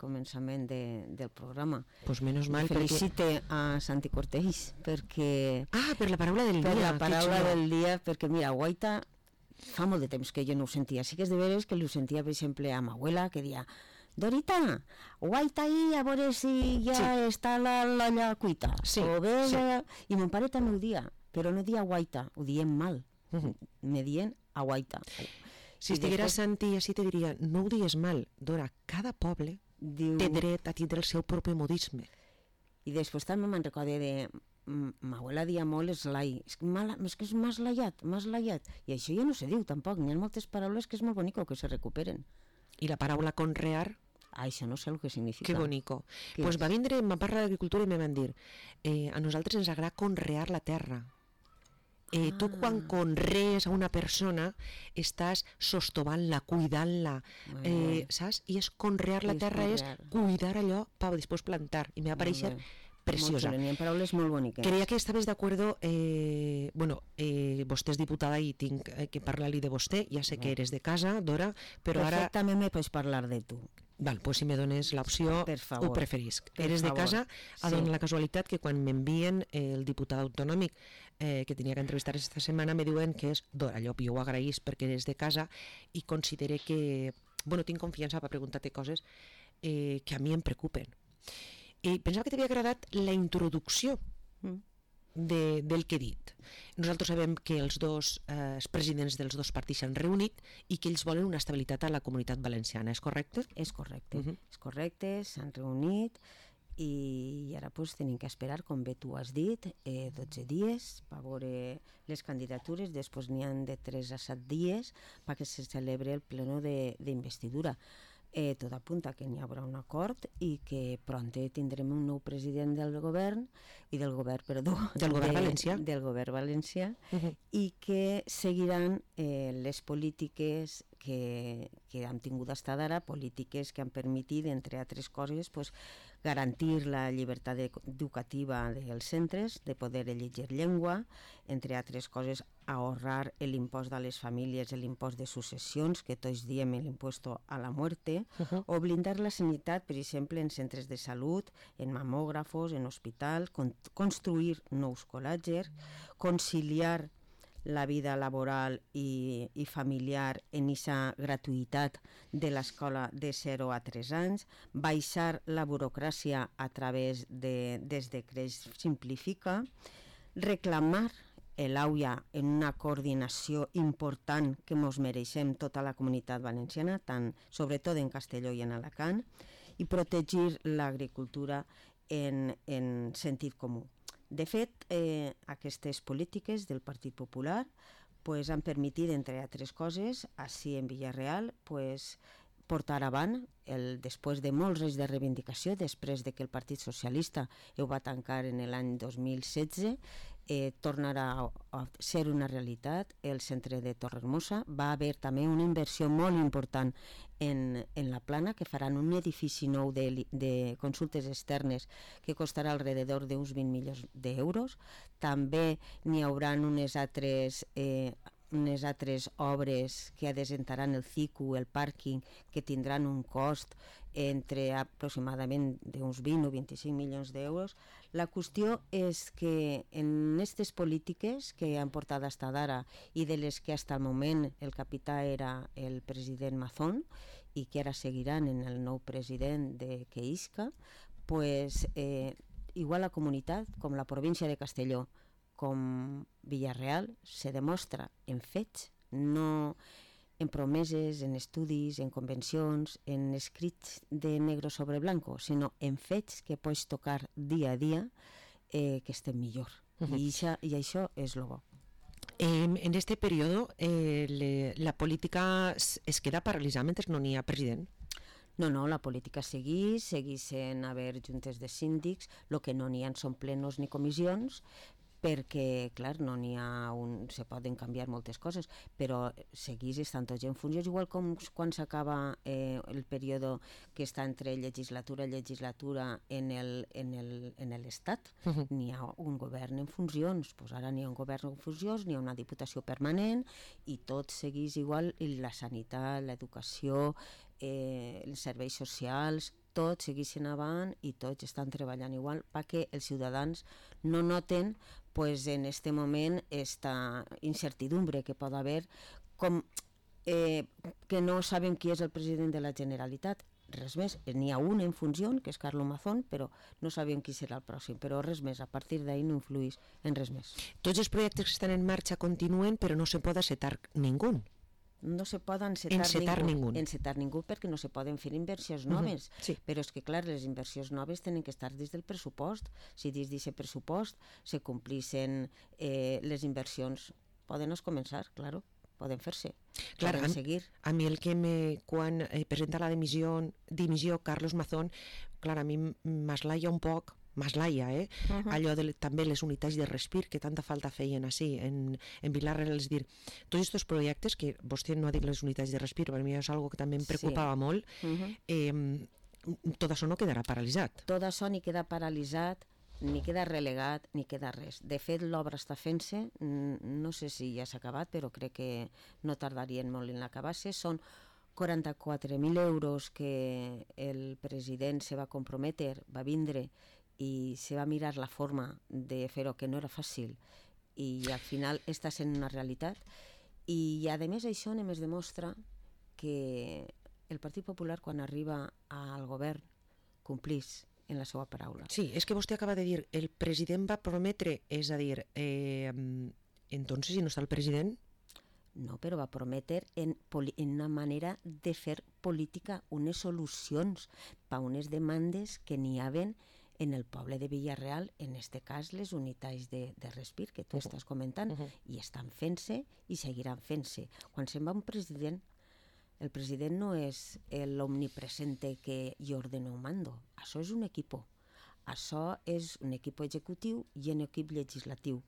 començament del programa. Pues menos mal. Felicite a Santi Cortells perquè... Per la paraula del dia. Per la paraula del dia, perquè mira, guaita fa molt de temps que jo no ho sentia. Sí que és de veres que ho sentia, per exemple, a ma abuela, que deia: Dorita, guaita ahí, a veure si ja està l'olla cuita. O bé, i mon pare també ho dia, però no dia guaita, ho diem mal. Me dient a guaita. Si estiguera Santi així te diria, no ho digues mal, Dora, cada poble té dret a tindre el seu propi modisme. I després també me'n recorde de ma abuela dia molt eslai, és que és m'has laiat, i això ja no se diu tampoc, n'hi ha moltes paraules que és molt bonico que se recuperen. I la paraula conrear? Això no sé el que significa. Que bonico. Pues va vindre, em va parlar d'agricultura i me van dir, a nosaltres ens agrada conrear la terra. Tu quan conrees a una persona estàs sostovant-la, cuidant-la, saps? I és conrear la terra, és cuidar allò per després plantar, i me va pareixer preciosa. N'hi ha paraules molt boniques. Creia que estaves d'acord, vostè és diputada i tinc que parlar-li de vostè, ja sé que eres de casa, Dora, però ara... Perfectament me pots parlar de tu. Val, pues si me dones l'opció ho preferisc. Eres de casa, a donar la casualitat que quan m'envien el diputat autonòmic que tenia que entrevistar aquesta setmana me diuen que és Dora Llop. Jo ho agraïs perquè eres de casa i considere que tinc confiança per preguntar-te coses que a mi em preocupen. Pensava que t'havia agradat la introducció del que he dit. Nosaltres sabem que els presidents dels dos partits s'han reunit i que ells volen una estabilitat a la comunitat valenciana, és correcte? És correcte, s'han reunit i ara tenim que esperar, com bé tu has dit, 12 dies per veure les candidatures, després n'hi han de 3 a 7 dies perquè se celebre el pleno d'investidura. Tot apunta que n'hi haurà un acord i que pront tindrem un nou president del govern valencià i que seguiran les polítiques que hem tingut fins ara, polítiques que han permès, entre altres coses, garantir la llibertat educativa dels centres, de poder elegir llengua, entre altres coses, ahorrar l'impost a les famílies, l'impost de successions, que tots diem l'impost a la muerte, o blindar la sanitat, per exemple, en centres de salut, en mamògrafos, en hospitals, construir nous col·legis, conciliar la vida laboral i familiar en aquesta gratuïtat de l'escola de 0 a 3 anys, baixar la burocràcia a través dels decrets Simplifica, reclamar l'AUIA en una coordinació important que ens mereixem tota la comunitat valenciana, sobretot en Castelló i en Alacant, i protegir l'agricultura en sentit comú. De fet, aquestes polítiques del Partit Popular han permès, entre altres coses, així en Villarreal, portar avant, després de molts anys de reivindicació, després de que el Partit Socialista ho va tancar en l'any 2016, tornarà a ser una realitat. El centre de Torrehermosa va haver també una inversió molt important en la Plana, que faran un edifici nou de consultes externes que costarà alrededor d'uns 20 milions d'euros. També n'hi haurà unes altres obres que adesentaran el CICU, el pàrquing, que tindran un cost entre aproximadament d'uns 20 o 25 milions d'euros. La qüestió és que en aquestes polítiques que han portat fins ara i de les que fins al moment el capità era el president Mazón i que ara seguiran en el nou president que isca, igual la comunitat com la província de Castelló com Villarreal se demostra en fets, no en promeses, en estudis, en convencions, en escrits de negre sobre blanco, sinó en fets que pots tocar dia a dia que estem millor. I això és el bo. En este període la política es queda paralitzada mentre no n'hi ha president? No, la política segueix sent haver juntes de síndics, el que no n'hi ha són plenos ni comissions, perquè, clar, no n'hi ha se poden canviar moltes coses, però segueix estant tots en funcions, igual com quan s'acaba el període que està entre legislatura i legislatura en l'Estat, n'hi ha un govern en funcions, ara n'hi ha un govern en funcions, n'hi ha una diputació permanent i tot segueix igual, la sanitat, l'educació, els serveis socials, tots segueixen avant i tots estan treballant igual perquè els ciutadans no noten pues, en este moment esta incertidumbre que pot haver com que no sabem qui és el president de la Generalitat. Res més, n'hi ha un en funció, que és Carlos Mazón, però no sabem qui serà el pròxim, però res més, a partir d'ahir no influïs en res més. Tots els projectes que estan en marxa continuen, però no se pot encetar ningú. No se pot encetar ningú perquè no se poden fer inversions noves, sí. Però és que clar, les inversions noves tenen que estar dins del pressupost. Si dins d'aquest pressupost se complissin les inversions, poden començar, claro. Poden fer-se, poden seguir. A mi quan presenta la dimissió Carlos Mazón, clar, a mi m'eslaia un poc, allò de també les unitats de respir que tanta falta feien així en Vilar-real, és dir, tots aquests projectes que vostè no ha dit les unitats de respir, per mi és algo que també em preocupava molt, tot això no quedarà paralitzat. Tot això ni queda paralitzat, ni queda relegat, ni queda res. De fet, l'obra està fent-se, no sé si ja s'ha acabat, però crec que no tardarien molt en l'acabar-se. Són 44.000 euros que el president se va comprometre, va vindre i se va mirar la forma de fer-ho, que no era fàcil, i al final està sent una realitat. I a més això només demostra que el Partit Popular, quan arriba al govern, complís en la seva paraula. Sí, és que vostè acaba de dir, el president va prometre, és a dir, entonces, si no està el president... No, però va prometre en una manera de fer política, unes solucions per unes demandes que n'hi havia en el poble de Villarreal, en aquest cas les unitats de respir que tu estàs comentant, i estan fent-se i seguiran fent-se. Quan se'n va un president, el president no és l'omnipresente que jo ordeno o mando. Això és un equip. Això és un equip executiu i un equip legislatiu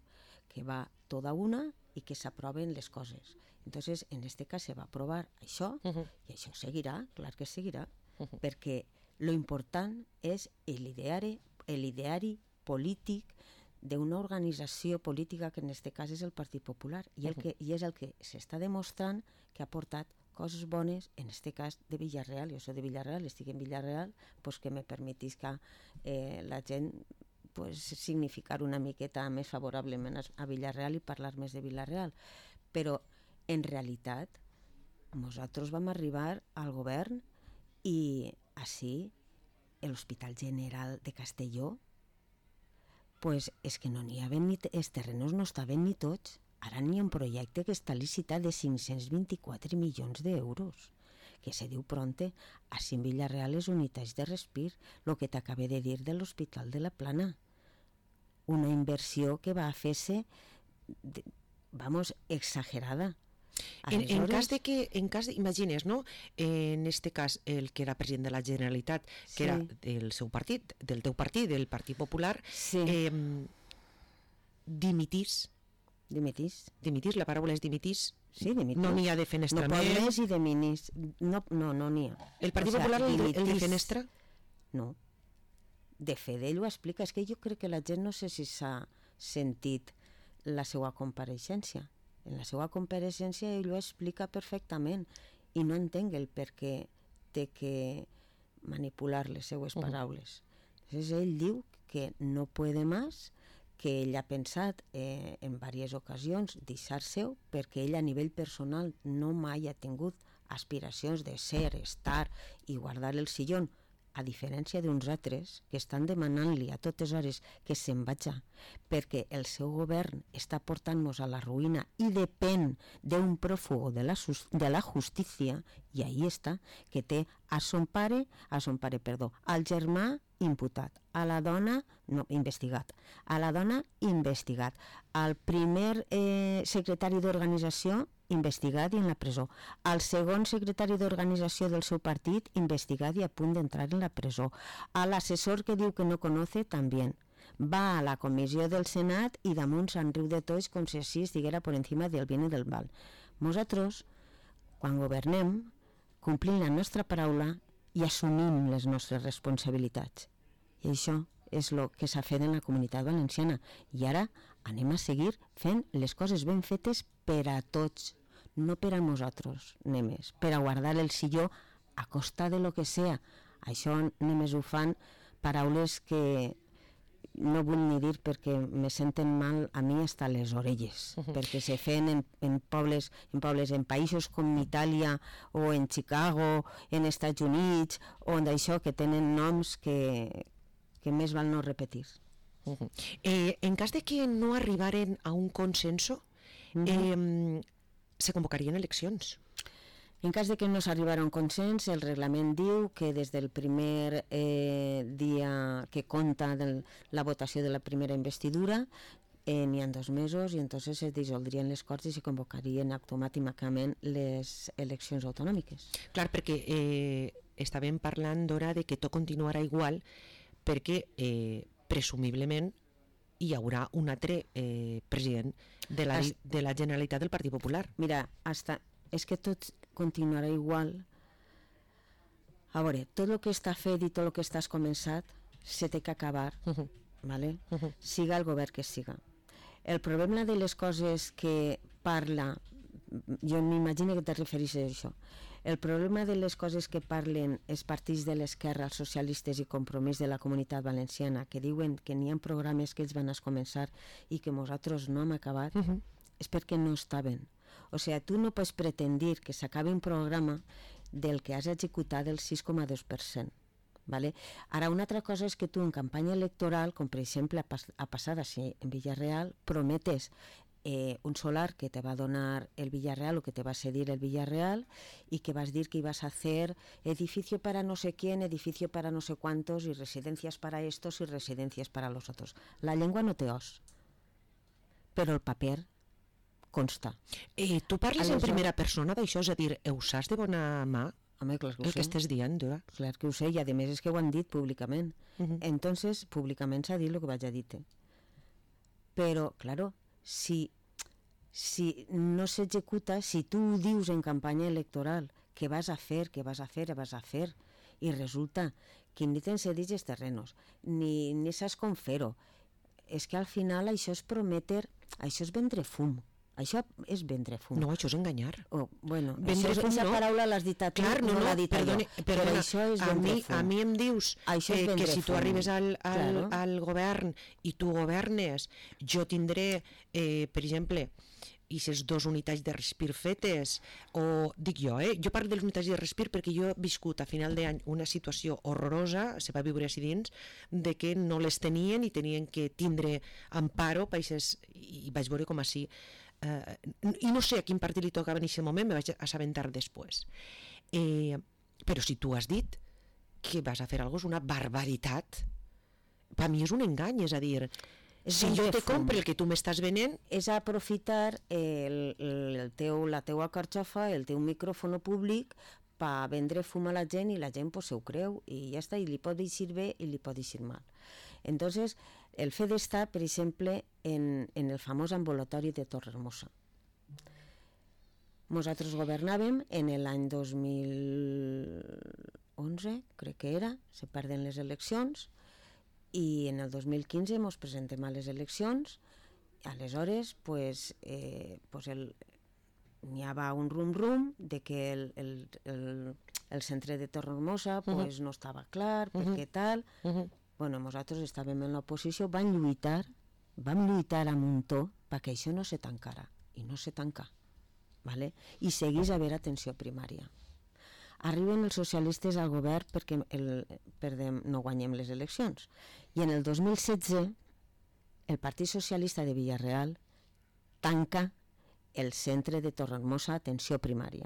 que va tota una i que s'aproven les coses. Entonces, en este cas se va aprovar això i això seguirà, clar que seguirà, perquè lo important és l'ideari polític d'una organització política que en aquest cas és el Partit Popular i és el que s'està demostrant que ha portat coses bones, en aquest cas de Villarreal. Jo soc de Villarreal, estic en Villarreal, pues que me permetisca la gent significar una miqueta més favorablement a Villarreal i parlar més de Villarreal. Però, en realitat, nosaltres vam arribar al govern i així l'Hospital General de Castelló pues és que no n'hi havia ni... Els terrenos no estaven ni tots. Ara n'hi ha un projecte que està licitat de 524 milions d'euros, que se diu pronte. Així en Villarreal les unitats de respir, el que t'acabé de dir de l'Hospital de la Plana. Una inversió que va fer-se, exagerada. En cas de, imagines, no? En este cas, el que era president de la Generalitat, que era del seu partit, del teu partit, del Partit Popular, dimitís, la paraula és dimitís. Sí, dimitís. No n'hi ha de fenestrament. No pot més i de minis. No n'hi ha. El Partit Popular, el de fenestra? No. De fet, ell ho explica. És que jo crec que la gent no sé si s'ha sentit la seva compareixença. En la seva compareixença ell ho explica perfectament i no entenc el per què té que manipular les seues paraules. Ell diu que no puede más, que ell ha pensat en diverses ocasions deixar-se-ho perquè ell a nivell personal no mai ha tingut aspiracions de ser, estar i guardar el sillón, a diferència d'uns altres que estan demanant-li a totes hores que se'n vagi, perquè el seu govern està portant-nos a la ruïna i depèn d'un pròfugo de la justícia, i ahí està, que té al germà imputat, a la dona investigat, al primer secretari d'organització investigat i en la presó, al segon secretari d'organització del seu partit investigat i a punt d'entrar en la presó, a l'assessor que diu que no conoce també. Va a la comissió del Senat i damunt se'n riu de tots com si així estiguera per encima del bien i del mal. Nosaltres, quan governem, complim la nostra paraula i assumim les nostres responsabilitats. I això és el que s'ha fet en la Comunitat Valenciana. I ara anem a seguir fent les coses ben fetes per a tots, no per a nosaltres, només, per a guardar el silló a costa de lo que sea. Això només ho fan paraules que no vull ni dir perquè me senten mal a mi hasta les orelles, perquè se feien en pobles, en països com Itàlia o en Chicago, en Estats Units, on d'això que tenen noms que més val no repetir. En cas de que no arribaren a un consenso, se convocarien eleccions. En cas de que no s'arribara a un consens, el reglament diu que des del primer dia que compta la votació de la primera investidura n'hi ha 2 mesos i entonces se dissoldrien les Corts i se convocarien automàticament les eleccions autonòmiques. Clar, perquè estàvem parlant d'hora de que tot continuarà igual perquè presumiblement hi haurà un altre president de la Generalitat del Partit Popular. Mira, és que tot continuarà igual. A veure, tot el que està fet i tot el que estàs començat se té que acabar, ¿vale? Siga el govern que siga. El problema de les coses que parla, jo m'imagino que te refereixes a això, el problema de les coses que parlen els partits de l'esquerra, els socialistes i Compromís de la Comunitat Valenciana, que diuen que n'hi ha programes que ells van a començar i que nosaltres no hem acabat, és perquè no estaven. O sigui, tu no pots pretendir que s'acabi un programa del que has executat el 6,2%. ¿Vale? Ara, una altra cosa és que tu en campanya electoral, com per exemple ha passat així en Villarreal, prometes un solar que te va donar el Villarreal o que te va cedir el Villarreal y que vas a decir que ibas a hacer edificio para no sé quién, edificio para no sé cuántos y residencias para estos y residencias para los otros. La llengua no té os, però el paper consta. Tu parles en primera persona d'això, és a dir, ho saps de bona mà? Home, clar que ho sé. El que estàs dient, Dora? Clar que ho sé, i a més és que ho han dit públicament. Entonces, públicament s'ha dit el que vaig a dir. Però, claro, si no s'executa, si tu ho dius en campanya electoral, que vas a fer, i resulta que ni tens cedits els terrenos, ni saps com fer-ho, és que al final això és prometer, això és vendre fum. Això és vendre fum. No, això és enganyar. Vendre fum, no. Paraula l'has dit a tu, no l'ha dit a jo. Però això és vendre fum. A mi em dius que si tu arribes al govern i tu governes, jo tindré, per exemple, i les 2 unitats de respir fetes, o dic jo parlo de les unitats de respir perquè jo he viscut a final d'any una situació horrorosa, se va viure així dins, de que no les tenien i tenien que tindre amparo, i vaig veure com així. I no sé a quin partit li tocava en aquest moment, me vaig assabentar després. Però si tu has dit que vas a fer alguna cosa, és una barbaritat. Per mi és un engany, és a dir, si jo te compro el que tu m'estàs venent... És aprofitar la teua carxofa, el teu micròfon públic per vendre fum a la gent i la gent se ho creu i ja està, i li pot dir bé i li pot dir mal. Entonces, el fet d'estar, per exemple, en el famós ambulatori de Torrehermosa. Nosaltres governàvem en l'any 2011, crec que era, se perden les eleccions, i en el 2015 ens presentem a les eleccions, aleshores n'hi havia un rum-rum de que el centre de Torrehermosa no estava clar, perquè tal... Nosaltres estàvem en l'oposició, vam lluitar a muntó perquè això no se tancara, i no se tancà, i seguís a haver atenció primària. Arriben els socialistes al govern perquè no guanyem les eleccions, i en el 2016 el Partit Socialista de Villarreal tanca el centre de Torrehermosa atenció primària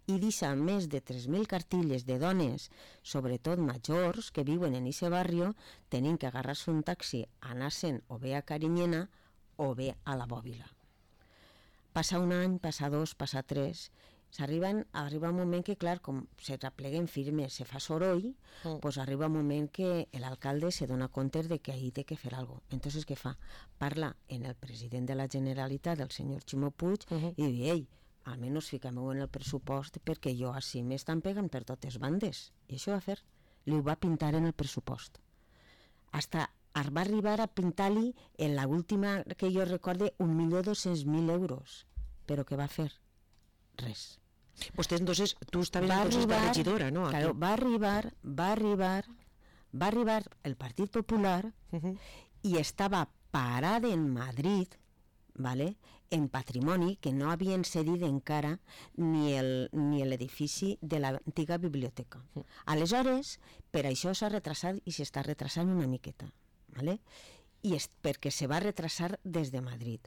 i deixa més de 3.000 cartilles de dones, sobretot majors, que viuen en aquest barri, tenint que agarrar-se un taxi, anar-se'n o bé a Carinyena o bé a la Bòbila. Passa un any, passa 2, passa 3, arriba un moment que, clar, com se repleguen firmes, se fa soroll, arriba un moment que l'alcalde se dona compte de que ahí té que fer alguna cosa. Entonces, què fa? Parla en el president de la Generalitat, el senyor Ximo Puig, i diu, ei, almenys fiquem-ho en el pressupost perquè jo així m'estan pegant per totes bandes. I això va fer. Li ho va pintar en el pressupost. Va arribar a pintar-li en l'última que jo recorde 1.200.000 euros. Però què va fer? Res. Vostè, entonces, tu estaves entonces de regidora, ¿no? Claro, va arribar el Partit Popular y estaba parada en Madrid, ¿vale?, en patrimoni, que no havien cedit encara ni l'edifici de l'antiga biblioteca. Aleshores, per això s'ha retrasat i s'està retrasant una miqueta, ¿vale?, i és perquè se va retrasar des de Madrid.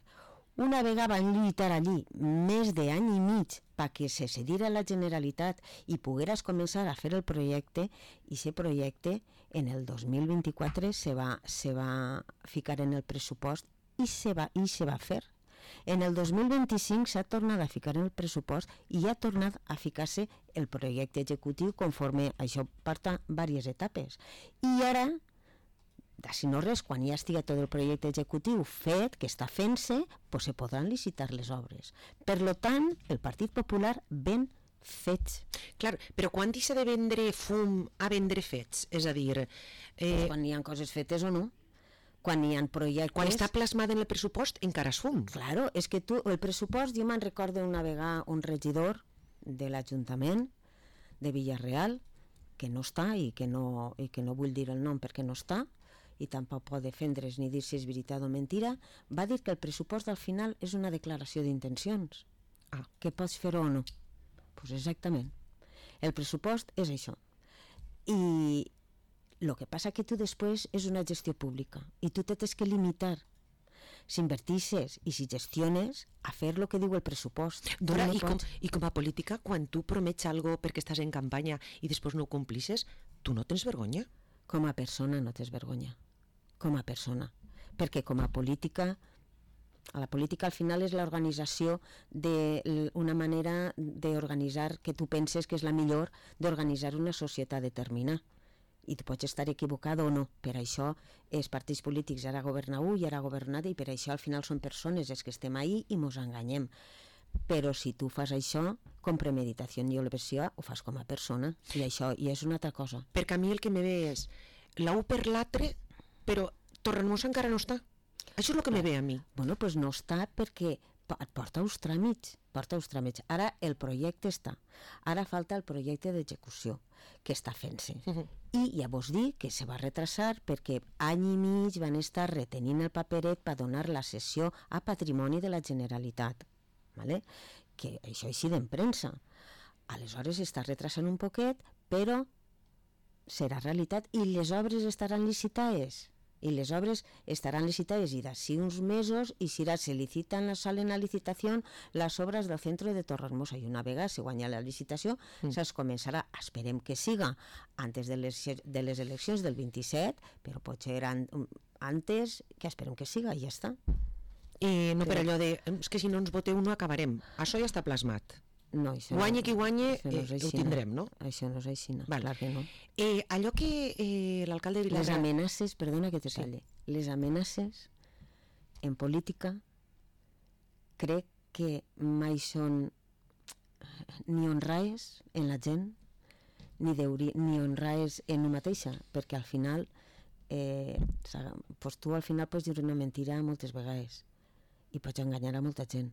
Una vegada van lluitar allí més d'any i mig perquè se cedira a la Generalitat i pogueres començar a fer el projecte, i aquest projecte en el 2024 se va ficar en el pressupost i se va fer. En el 2025 s'ha tornat a ficar en el pressupost i ha tornat a ficar-se el projecte executiu conforme això porta diverses etapes. I ara, si no res, quan ja estigui tot el projecte executiu fet, que està fent-se, pues se podran licitar les obres. Per tant, el Partit Popular ven fets. Clar, però quan deixa de vendre fum a vendre fets? És a dir... Quan hi ha coses fetes o no. Quan hi ha projectes... Quan està plasmat en el pressupost encara és fum. Claro, és que el pressupost, jo me'n recordo una vegada un regidor de l'Ajuntament de Villarreal, que no està i que no vull dir el nom perquè no està, i tampoc pot defendre's ni dir si és veritat o mentira, va dir que el pressupost al final és una declaració d'intencions. Que pots fer-ho o no. Doncs exactament. El pressupost és això. I el que passa que tu després és una gestió pública i tu tens que limitar si invertisses i si gestiones a fer el que diu el pressupost. Dora, i com a política, quan tu promets alguna cosa perquè estàs en campanya i després no ho complisses, tu no tens vergonya? Com a persona no tens vergonya. Com a persona. Perquè com a política, la política al final és l'organització d'una manera d'organitzar que tu penses que és la millor d'organitzar una societat determinada. I tu pots estar equivocat o no. Per això els partits polítics ara governa un i ara governa i per això al final són persones els que estem ahí i mos enganyem. Però si tu fas això com premeditació i olevació, ho fas com a persona i això i és una altra cosa. Perquè a mi el que me ve és l'u per l'altre, però Torremossa encara no està. Això és el que me ve a mi. Bueno, doncs no està perquè porta uns tràmits. Ara el projecte està. Ara falta el projecte d'execució, que està fent-se. I ja vos dic que se va retrasar perquè any i mig van estar retenint el paperet per donar la cessió a patrimoni de la Generalitat. ¿Vale? Que això així en premsa. Aleshores està retrasant un poquet, però serà realitat i les obres estaran licitades. I les obres estaran licitades i d'ací uns mesos i si se licitan, salen a licitació les obres del centre de Torremossa i una vegada se guanya la licitació se'ls començarà, esperem que siga antes de les eleccions del 27, però potser antes, que esperem que siga i ja està. No per allò de, és que si no ens voteu no acabarem, això ja està plasmat. No, guanya qui guanya, ho tindrem, no? Això no és així, clar que no. Allò que l'alcalde de Vilassar... Les amenaces, perdona que te talli, les amenaces en política crec que mai són ni honraes en la gent ni honraes en una mateixa, perquè al final tu al final pots dir una mentira moltes vegades i pots enganyar a molta gent,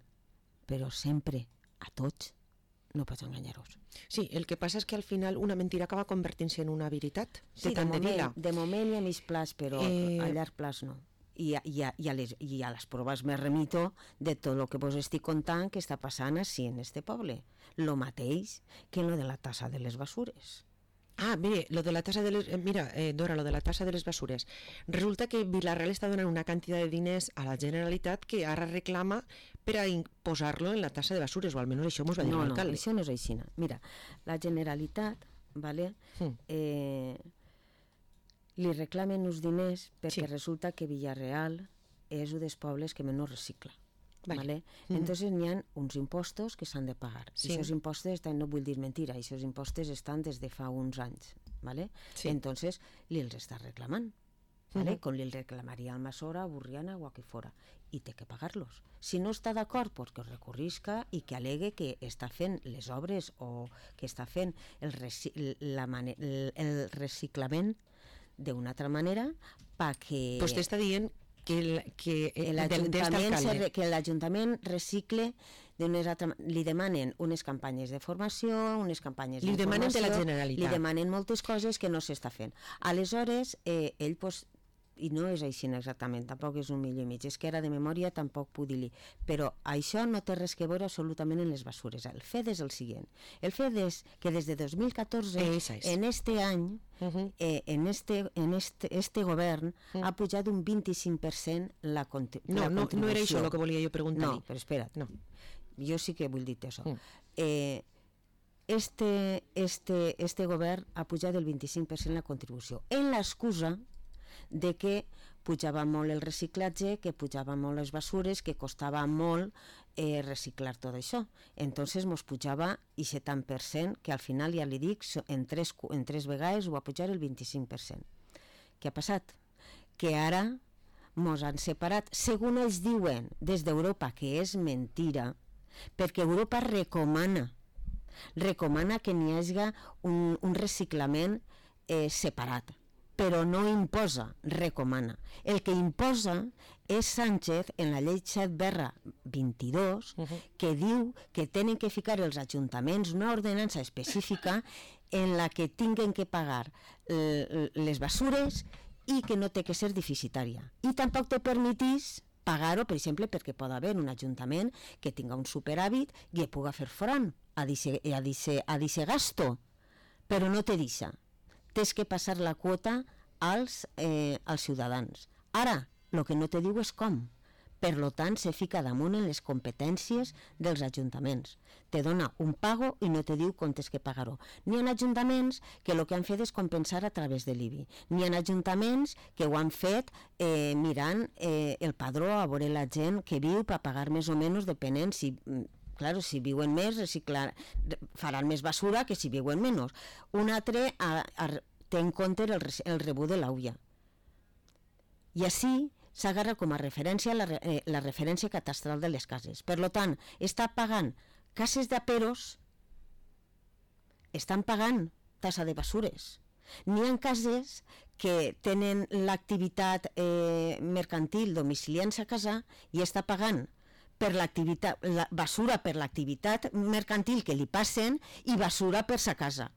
però sempre a tots no pots enganyar-vos. Sí, el que passa és que al final una mentira acaba convertint-se en una veritat. Sí, de moment hi ha mig plaç, però a llarg plaç no. I a les proves me remito de tot el que vos estic contant que està passant així en este poble. Lo mateix que lo de la tassa de les basures. Mire, lo de la tasa de les... Mira, Dora, lo de la tasa de les basures. Resulta que Vila-real està donant una quantitat de diners a la Generalitat que ara reclama per a posar-lo en la tasa de basures, o almenys això mos va dir l'alcalde. No, això no és així. Mira, la Generalitat, ¿vale? Li reclamen uns diners perquè resulta que Villarreal és un dels pobles que menys recicla. ¿Vale? Entonces n'hi ha uns impostos que s'han de pagar. I aquests impostos, no vull dir mentira, aquests impostos estan des de fa uns anys. ¿Vale? Entonces li els està reclamant. ¿Vale? Com li reclamaria al Masora, a Burriana o a qui fora. I té que pagar-los. Si no està d'acord, pues que recorrisca i que alegue que està fent les obres o que està fent el reciclament d'una altra manera perquè... Vostè està dient que l'Ajuntament recicle li demanen unes campanyes de formació, unes campanyes d'informació... Li demanen de la Generalitat. Li demanen moltes coses que no s'està fent. Aleshores, ell, i no és així exactament, tampoc és un milió i mig, és que ara de memòria tampoc puc dir-li, però això no té res que veure absolutament en les basures. El fet és el següent, el fet és que des de 2014, en este any, en este govern, ha pujat un 25% la contribució. No era això el que volia jo preguntar-li. No, però espera't, jo sí que vull dir-te això. Este govern ha pujat el 25% la contribució, en l'excusa de que pujava molt el reciclatge, que pujava molt les basures, que costava molt reciclar tot això. Entonces mos pujava aquest tant per cent, que al final, ja li dic, en tres vegades ho va pujar el 25%. Què ha passat? Que ara mos han separat, segons ells diuen des d'Europa, que és mentira, perquè Europa recomana que n'hi hagi un reciclament separat, però no imposa, recomana. El que imposa és Sánchez en la llei 7/22, que diu que tenen que ficar els ajuntaments una ordenança específica en la que tinguen que pagar les basures i que no té que ser deficitària. I tampoc te permetís pagar-ho, per exemple, perquè pot haver un ajuntament que tinga un superàvit i pugui fer front a dice gasto, però no te deixa. Tens que passar la quota als ciutadans. Ara, el que no te diu és com. Per tant, se fica damunt en les competències dels ajuntaments. Te dona un pago i no te diu com tens que pagar-ho. N'hi ha ajuntaments que el que han fet és compensar a través de l'IBI. N'hi ha ajuntaments que ho han fet mirant el padró a veure la gent que viu per pagar més o menys, depenent si... Claro, si viuen més, faran més basura que si viuen menys. Un altre té en compte el rebut de l'AUIA. I així s'agarra com a referència la referència catastral de les cases. Per tant, està pagant cases d'aperos, estan pagant tassa de basures. N'hi ha cases que tenen l'activitat mercantil domiciliant-se a casa i està pagant per l'activitat, basura per l'activitat mercantil que li passen i basura per sa casa.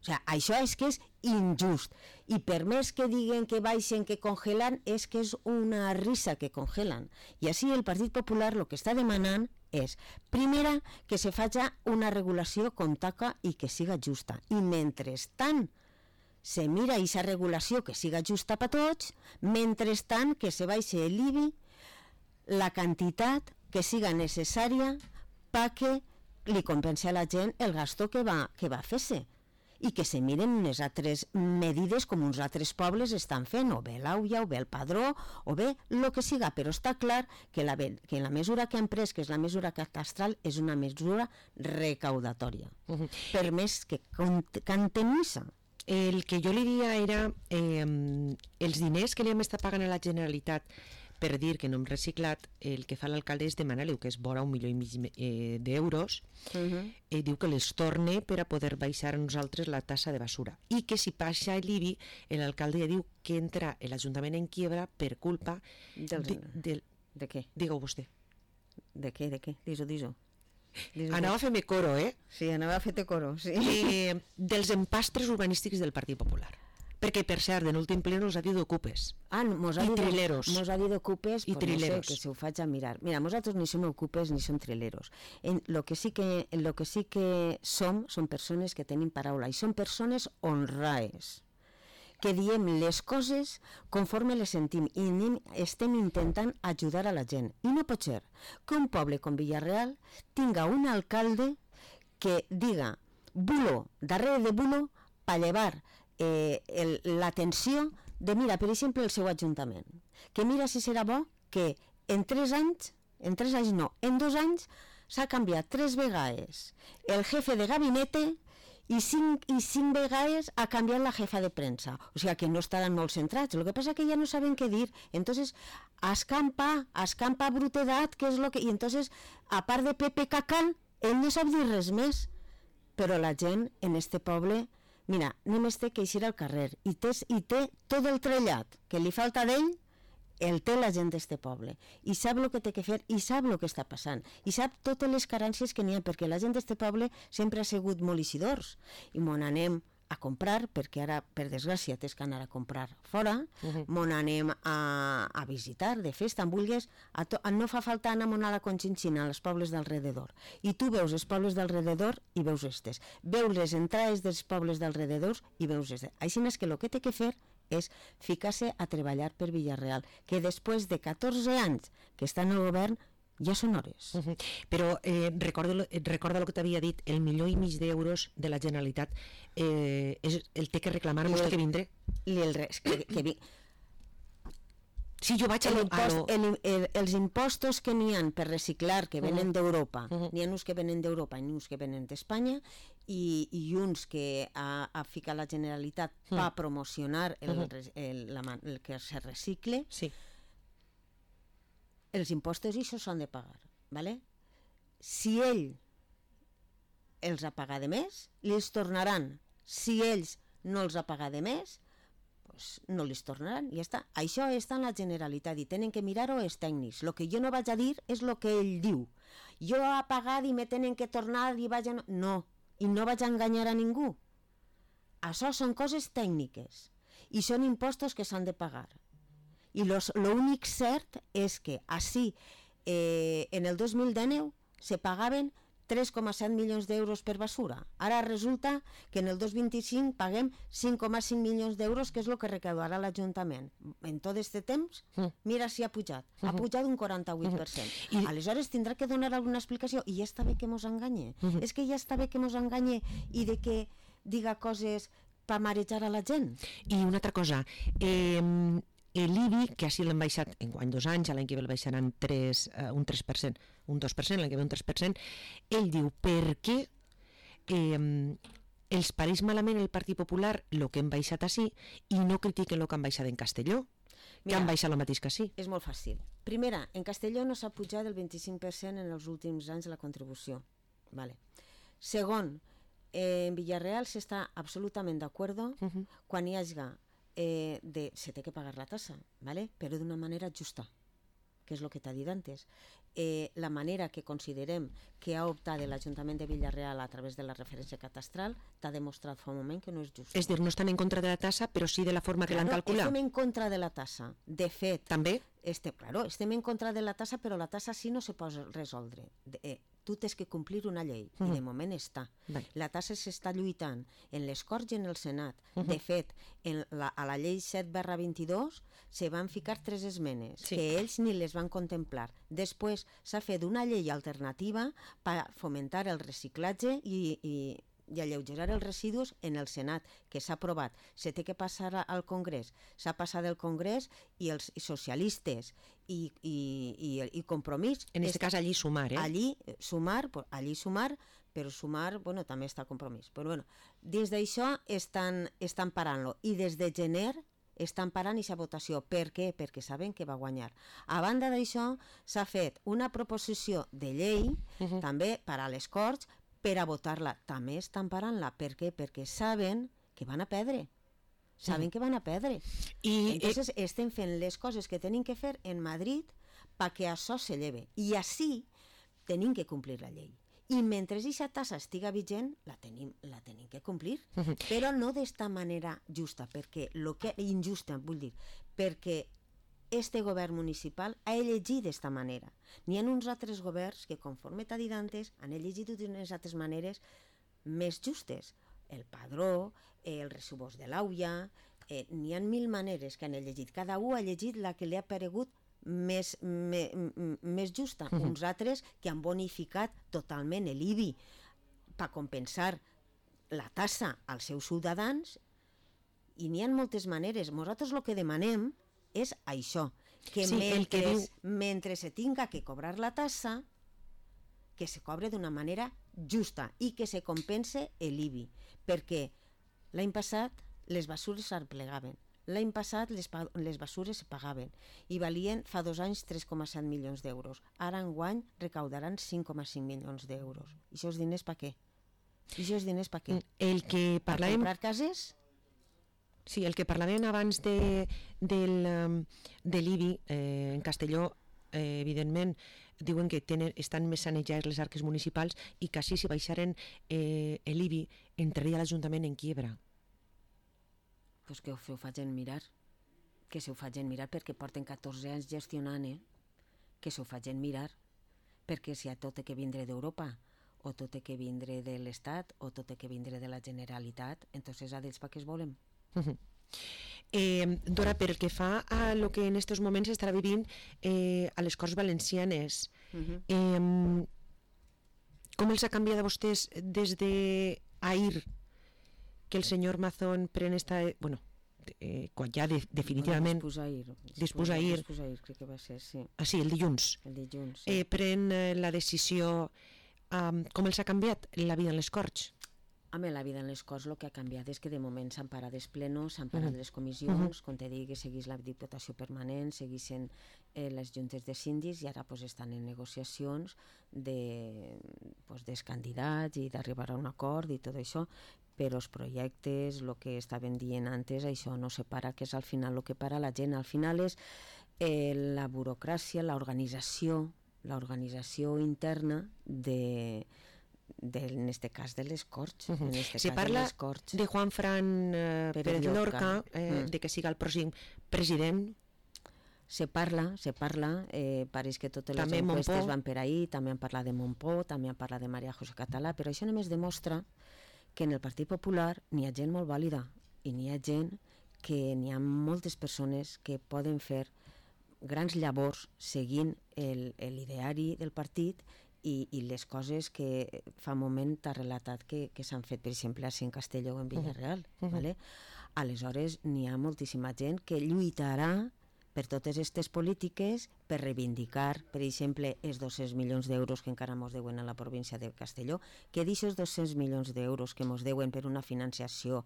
O sigui, això és que és injust. I per més que diguen que baixen, que congelen, és que és una risa que congelen. I així el Partit Popular el que està demanant és, primera, que se faci una regulació com toca i que siga justa. I mentrestant se mira aquesta regulació que siga justa per tots, mentrestant que se baixi l'IBI la quantitat que siga necessària perquè li compensi a la gent el gasto que va fer-se i que se miren unes altres medides com uns altres pobles estan fent, o bé l'AUIA, o bé el padró, o bé el que siga, però està clar que la mesura que han pres, que és la mesura catastral, és una mesura recaudatòria, per més que cantemissa. El que jo li diria era els diners que li hem estat pagant a la Generalitat per dir que no hem reciclat, el que fa l'alcalde és demanar-li, que és vora 1,5 milió d'euros, diu que les torne per a poder baixar a nosaltres la tassa de basura. I que si baixa l'IBI, l'alcalde ja diu que entra l'Ajuntament en quiebra per culpa de què? Digue-ho vostè. De què? Dis-ho. Anava a fer-me coro, Sí, anava a fer-te coro, sí. Dels empastres urbanístics del Partit Popular. Perquè, per cert, en l'últim ple nos ha dit ocupes. I trileros. Mos ha dit ocupes, i trileros. No sé, que se ho faig a mirar. Mira, nosaltres ni som ocupes ni som trileros. Lo que sí que som persones que tenim paraula, i són persones honraes, que diem les coses conforme les sentim i estem intentant ajudar a la gent. I no pot ser que un poble com Villarreal tinga un alcalde que diga bulo darrere de bulo per llevar l'atenció de, mira, per exemple, el seu ajuntament, que mira si serà bo que en 2 anys s'ha canviat 3 vegades el jefe de gabinete i 5 vegades ha canviat la jefa de premsa. O sigui que no estaran molt centrats. El que passa que ja no saben què dir. Entonces, escampa brutedat, que és lo que... I entonces, a part de Pepe Cacal, ell no sap dir res més. Però la gent en este poble... Mira, només té que eixir al carrer i té tot el trellat que li falta d'ell el té la gent d'este poble, i sap el que té que fer, i sap el que està passant, i sap totes les carències que n'hi ha, perquè la gent d'este poble sempre ha sigut molt eixidors, i mon anem a comprar, perquè ara, per desgràcia, tens que anar a comprar fora, mon anem a visitar, de festa, en vulguis, no fa falta anar a la Conchinchina, als pobles d'alrededor, i tu veus els pobles d'alrededor i veus estes, veus les entrades dels pobles d'alrededor i veus estes. Així és que el que té que fer és ficar-se a treballar per Villarreal, que després de 14 anys que està en el govern, ja són hores. Però recorda el que t'havia dit, el 1,5 milió d'euros de la Generalitat el té que reclamar, no té que vindre? Sí, jo vaig els impostos que n'hi ha per reciclar, que venen d'Europa, n'hi ha uns que venen d'Europa i uns que venen d'Espanya, i uns que ha ficat la Generalitat per promocionar el que se recicle, els impostos i això s'han de pagar, ¿vale? Si ell els ha pagat de més, li els tornaran. Si ells no els ha pagat de més, pues no li tornaran, i ja està. Això està en la Generalitat i tenen que mirar-ho els tècnics. El que jo no vaig a dir és el que ell diu. Jo he pagat i me tenen que tornar i vaig a... No, i no vaig a enganyar a ningú. Això són coses tècniques i són impostos que s'han de pagar. I l'únic cert és que així en el 2019 se pagaven 3,7 milions d'euros per basura. Ara resulta que en el 2025 paguem 5,5 milions d'euros, que és el que recaudarà l'Ajuntament. En tot aquest temps, mira si ha pujat. Ha pujat un 48%. Aleshores tindrà que donar alguna explicació, i ja està bé que mos enganye. És que ja està bé que mos enganye i de que diga coses per marejar a la gent. I una altra cosa, l'IBI, que així l'hem baixat enguany 2 anys, l'any que ve el baixaran un 3%, un 2%, l'any que ve un 3%, ell diu, per què els pareix malament el Partit Popular el que hem baixat així i no critiquen el que han baixat en Castelló, que han baixat el mateix que sí? És molt fàcil. Primera, en Castelló no s'ha pujat el 25% en els últims anys de la contribució. Segon, en Villarreal s'està absolutament d'acord quan hi hagi se té que pagar la tassa, però d'una manera justa, que és el que t'ha dit antes. La manera que considerem que ha optat l'Ajuntament de Villarreal a través de la referència catastral t'ha demostrat fa un moment que no és just. És dir, no estan en contra de la tassa, però sí de la forma que l'han calculat. Estem en contra de la tassa. De fet, també? Estem en contra de la tassa, però la tassa sí no se pot resoldre. Tu tens que complir una llei, i de moment està. La tassa s'està lluitant en les Corts i en el Senat. De fet, a la llei 7/22 se van ficar 3 esmenes, que ells ni les van contemplar. Després s'ha fet una llei alternativa per fomentar el reciclatge i alleugerar els residus en el Senat, que s'ha aprovat. Se té que passar al Congrés. S'ha passat al Congrés i els socialistes i Compromís... En aquest cas, allí sumar, Allí sumar, però sumar, també està Compromís. Però dins d'això estan parant-lo. I des de gener estan parant aquesta votació. Per què? Perquè saben que va guanyar. A banda d'això, s'ha fet una proposició de llei, també per a les Corts, per a votar-la. També estan parant-la. Per què? Perquè saben que van a perdre. Saben que van a perdre. Entonces estem fent les coses que tenim que fer en Madrid perquè això s'eleve. I així tenim que complir la llei. I mentre aquesta tassa estiga vigent, la tenim que complir. Però no d'esta manera justa, injusta, vull dir, perquè este govern municipal ha elegit d'esta manera. N'hi ha uns altres governs que, conforme t'ha dit antes, han elegit d'unes altres maneres més justes. El padró, el recibós de l'auia, n'hi ha 1000 maneres que han elegit. Cada un ha elegit la que li ha paregut més justa. Uns altres que han bonificat totalment l'IBI per compensar la tassa als seus ciutadans, i n'hi ha moltes maneres. Nosaltres el que demanem és això, que mentre se tinga que cobrar la tassa, que se cobre d'una manera justa i que se compense l'IBI, perquè l'any passat les basures s'arplegaven, l'any passat les basures se pagaven i valien fa 2 anys 3,7 milions d'euros. Ara enguany recaudaran 5,5 milions d'euros. I això és diners per què? El que parlàvem... Per comprar cases? Sí, el que parlàvem abans de l'IBI en Castelló, evidentment, diuen que estan més sanejades les arques municipals i que així si baixaren l'IBI entraria l'Ajuntament en quiebra. Pues que ho facin mirar, perquè porten 14 anys gestionant, que s'ho facin mirar, perquè si tot té que vindre d'Europa, o tot té que vindre de l'Estat, o tot té que vindre de la Generalitat, entonces a d'ells per què es volen? Dora, pel que fa a lo que en estos moments estarà vivint a les Corts Valencianes, com els ha canviat a vostès des d'ahir que el senyor Mazón pren esta... Bueno, quan ja definitivament... Dispús ahir, crec que va ser, sí. Ah, sí, el dilluns. Sí. Pren la decisió... Com els ha canviat la vida en les Corts? Home, la vida en les Corts el que ha canviat és que de moment s'han parat els plenos, s'han parat les comissions, com te digui, seguís la Diputació Permanent, seguissin les juntes de síndics i ara estan en negociacions dels candidats i d'arribar a un acord i tot això, però els projectes, el que estaven dient antes, això no se para, que és al final el que para la gent. Al final és la burocràcia, l'organització interna en este cas de les Corts. Se parla de Juan Fran Pérez Lorca, de que siga el pròxim president. Se parla, pareix que totes les enquestes van per ahir, també han parlat de Montpó, també han parlat de María José Català, però això només demostra que en el Partit Popular n'hi ha gent molt vàlida i n'hi ha gent que n'hi ha moltes persones que poden fer grans llavors seguint l'ideari del partit i les coses que fa un moment t'ha relatat que s'han fet, per exemple, a en Castelló o en Villarreal. Aleshores, n'hi ha moltíssima gent que lluitarà per totes aquestes polítiques, per reivindicar, per exemple, els 200 milions d'euros que encara mos deuen a la província de Castelló, que d'aixos 200 milions d'euros que mos deuen per una financiació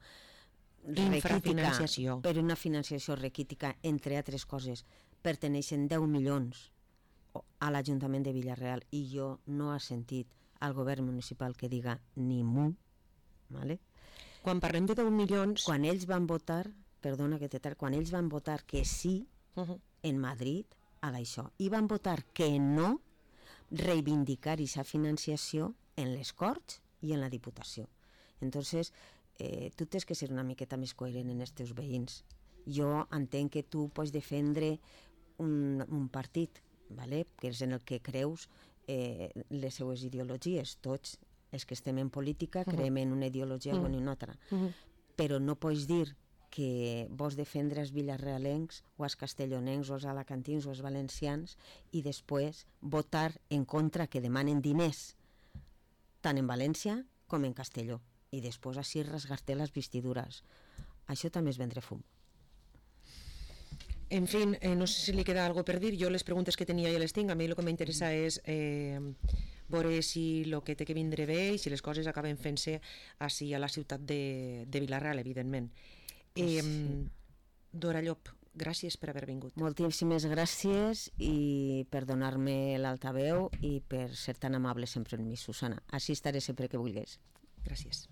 raquítica, entre altres coses, perteneixen 10 milions a l'Ajuntament de Villarreal i jo no he sentit al govern municipal que diga ni mu. Quan parlem de 10 milions... Quan ells van votar, quan ells van votar que sí en Madrid a això i van votar que no reivindicar aquesta financiació en les Corts i en la Diputació. Entonces, tu tens que ser una miqueta més coherent en els teus veïns. Jo entenc que tu pots defendre un partit, que és en el que creus les seues ideologies. Tots els que estem en política creiem en una ideologia o en una altra, però no pots dir que vols defendre els villarrealencs o els castellonencs o els alacantins o els valencians i després votar en contra que demanen diners tant en València com en Castelló i després així rasgar-te les vestidures. Això també és vendre fum. En fi, no sé si li queda alguna cosa per dir. Jo les preguntes que tenia ja les tinc. A mi el que m'interessa és veure si el que té que vindre bé i si les coses acaben fent-se així a la ciutat de Vila-real, evidentment. Dora Llop, gràcies per haver vingut. Moltíssimes gràcies i per donar-me l'altaveu i per ser tan amable sempre amb mi, Susana. Així estaré sempre que vulguis. Gràcies.